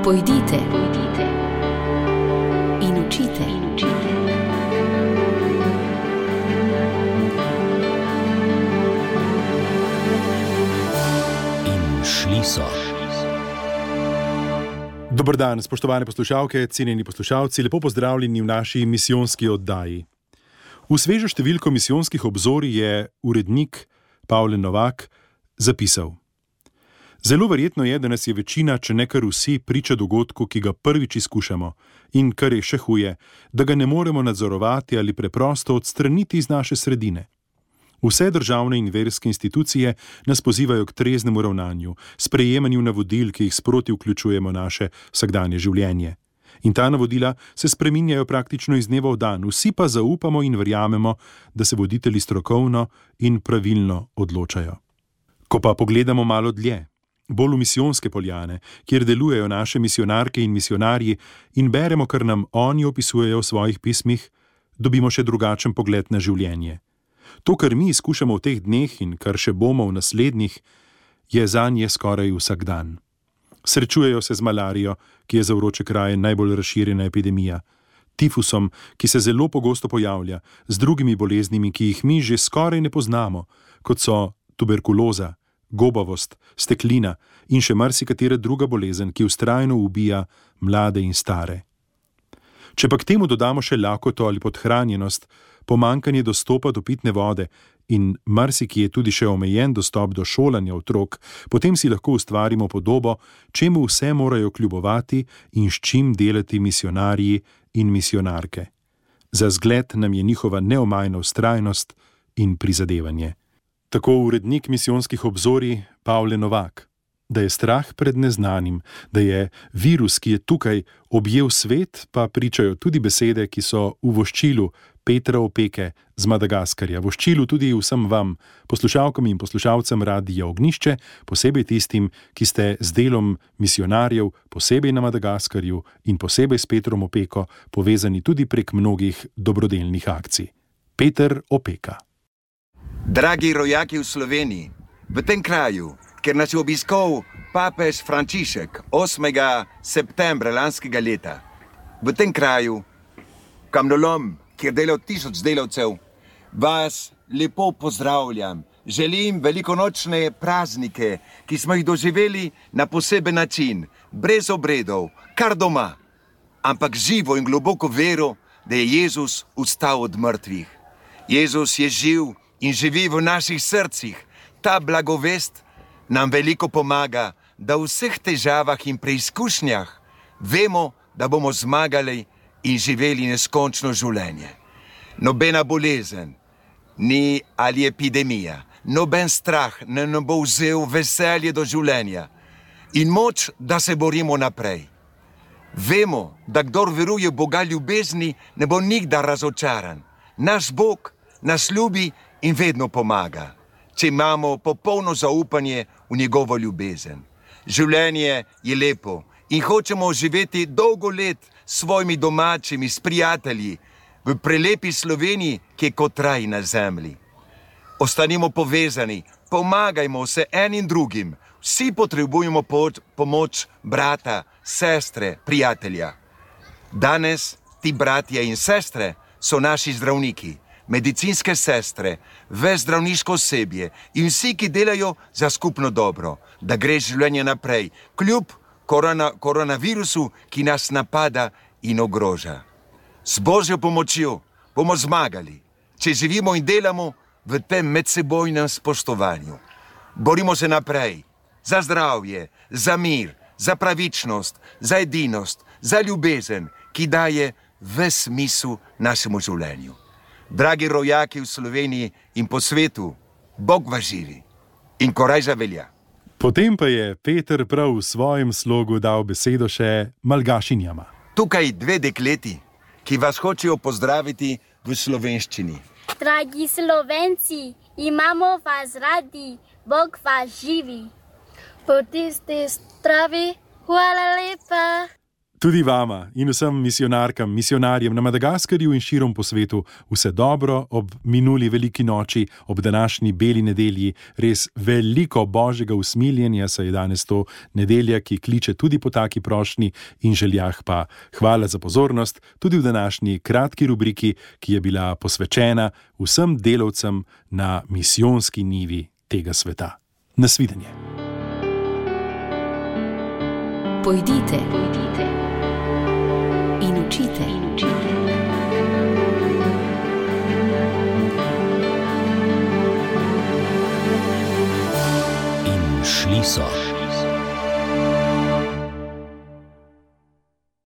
Pojdite in učite. In šli so. Dober dan, spoštovane poslušalke, cenjeni poslušalci, lepo pozdravljeni v naši misijonski oddaji. V svežo številko misijonskih obzorij je urednik Pavle Novak zapisal: Zelo verjetno je, da nas je večina, če ne kar vsi, priča dogodku, ki ga prvič izkušamo in, kar je še huje, da ga ne moremo nadzorovati ali preprosto odstraniti iz naše sredine. Vse državne in verske institucije nas pozivajo k treznemu ravnanju, sprejemanju navodil, ki jih sproti vključujemo v naše vsakdanje življenje. In ta navodila se spreminjajo praktično iz dneva v dan, vsi pa zaupamo in verjamemo, da se voditelji strokovno in pravilno odločajo. Ko pa pogledamo malo dlje, bolj v misijonske poljane, kjer delujejo naše misijonarke in misijonarji in beremo, kar nam oni opisujejo v svojih pismih, dobimo še drugačen pogled na življenje. To, kar mi izkušamo v teh dneh in kar še bomo v naslednjih, je zanje skoraj vsak dan. Srečujejo se z malarijo, ki je za vroče kraje najbolj razširjena epidemija, tifusom, ki se zelo pogosto pojavlja, z drugimi boleznimi, ki jih mi že skoraj ne poznamo, kot so tuberkuloza, gobavost, steklina in še marsikatera druga bolezen, ki vztrajno ubija mlade in stare. Če pa k temu dodamo še lakoto ali podhranjenost, pomanjkanje dostopa do pitne vode in marsikje tudi še omejen dostop do šolanja otrok, potem si lahko ustvarimo podobo, čemu vse morajo kljubovati in s čim delati misijonarji in misijonarke. Za zgled nam je njihova neomajna vztrajnost in prizadevanje. Tako urednik misijonskih obzorij Pavle Novak, da je strah pred neznanim, da je virus, ki je tukaj, objel svet, pa pričajo tudi besede, ki so v voščilu Petra Opeke z Madagaskarja, voščilu tudi vsem vam, poslušalkam in poslušalcem Radia Ognjišče, posebej tistim, ki ste z delom misijonarjev, posebej na Madagaskarju in posebej s Petrom Opeko povezani tudi prek mnogih dobrodelnih akcij. Peter Opeka. Dragi rojaki v Sloveniji, v tem kraju, kjer nas je obiskal papež Frančišek 8. septembra lanskega leta, v tem kraju, kamnolom, kjer dela 1000 delavcev, vas lepo pozdravljam. Želim velikonočne praznike, ki smo jih doživeli na poseben način, brez obredov, kar doma, ampak živo in globoko vero, da je Jezus vstal od mrtvih. Jezus je živ in živi v naših srcih. Ta blagovest nam veliko pomaga, da v vseh težavah in preizkušnjah vemo, da bomo zmagali in živeli neskončno življenje. Nobena bolezen, ni ali epidemija, noben strah ne nam bo vzel veselje do življenja in moč, da se borimo naprej. Vemo, da kdor veruje Boga ljubezni, ne bo nikdar razočaran. Naš Bog nas ljubi in vedno pomaga, če imamo popolno zaupanje v njegovo ljubezen. Življenje je lepo in hočemo živeti dolgo let s svojimi domačimi, s prijatelji, v prelepi Sloveniji, ki je kot raj na zemlji. Ostanimo povezani, pomagajmo se enim drugim. Vsi potrebujemo pomoč brata, sestre, prijatelja. Danes ti bratje in sestre so naši zdravniki, medicinske sestre, ves zdravniško osebje in vsi, ki delajo za skupno dobro, da gre življenje naprej, kljub koronavirusu, ki nas napada in ogroža. S Božjo pomočjo bomo zmagali, če živimo in delamo v tem medsebojnem spoštovanju. Borimo se naprej za zdravje, za mir, za pravičnost, za edinost, za ljubezen, ki daje ves smisel našemu življenju. Dragi rojaki v Sloveniji in po svetu, Bog vas živi in korajža velja. Potem pa je Peter prav v svojem slogu dal besedo še Malgašinjama. Tukaj dve dekleti, ki vas hočejo pozdraviti v slovenščini. Dragi Slovenci, imamo vas radi, Bog vas živi. Po tisti stravi, hvala lepa. Tudi vama in vsem misionarkam, misionarjem na Madagaskarju in širom po svetu vse dobro ob minuli veliki noči, ob današnji beli nedelji. Res veliko božjega usmiljenja, saj je danes to nedelja, ki kliče tudi po taki prošnji in željah. Pa hvala za pozornost tudi v današnji kratki rubriki, ki je bila posvečena vsem delavcem na misijonski nivi tega sveta. Nasvidenje. Pojdite in učite. In šli so.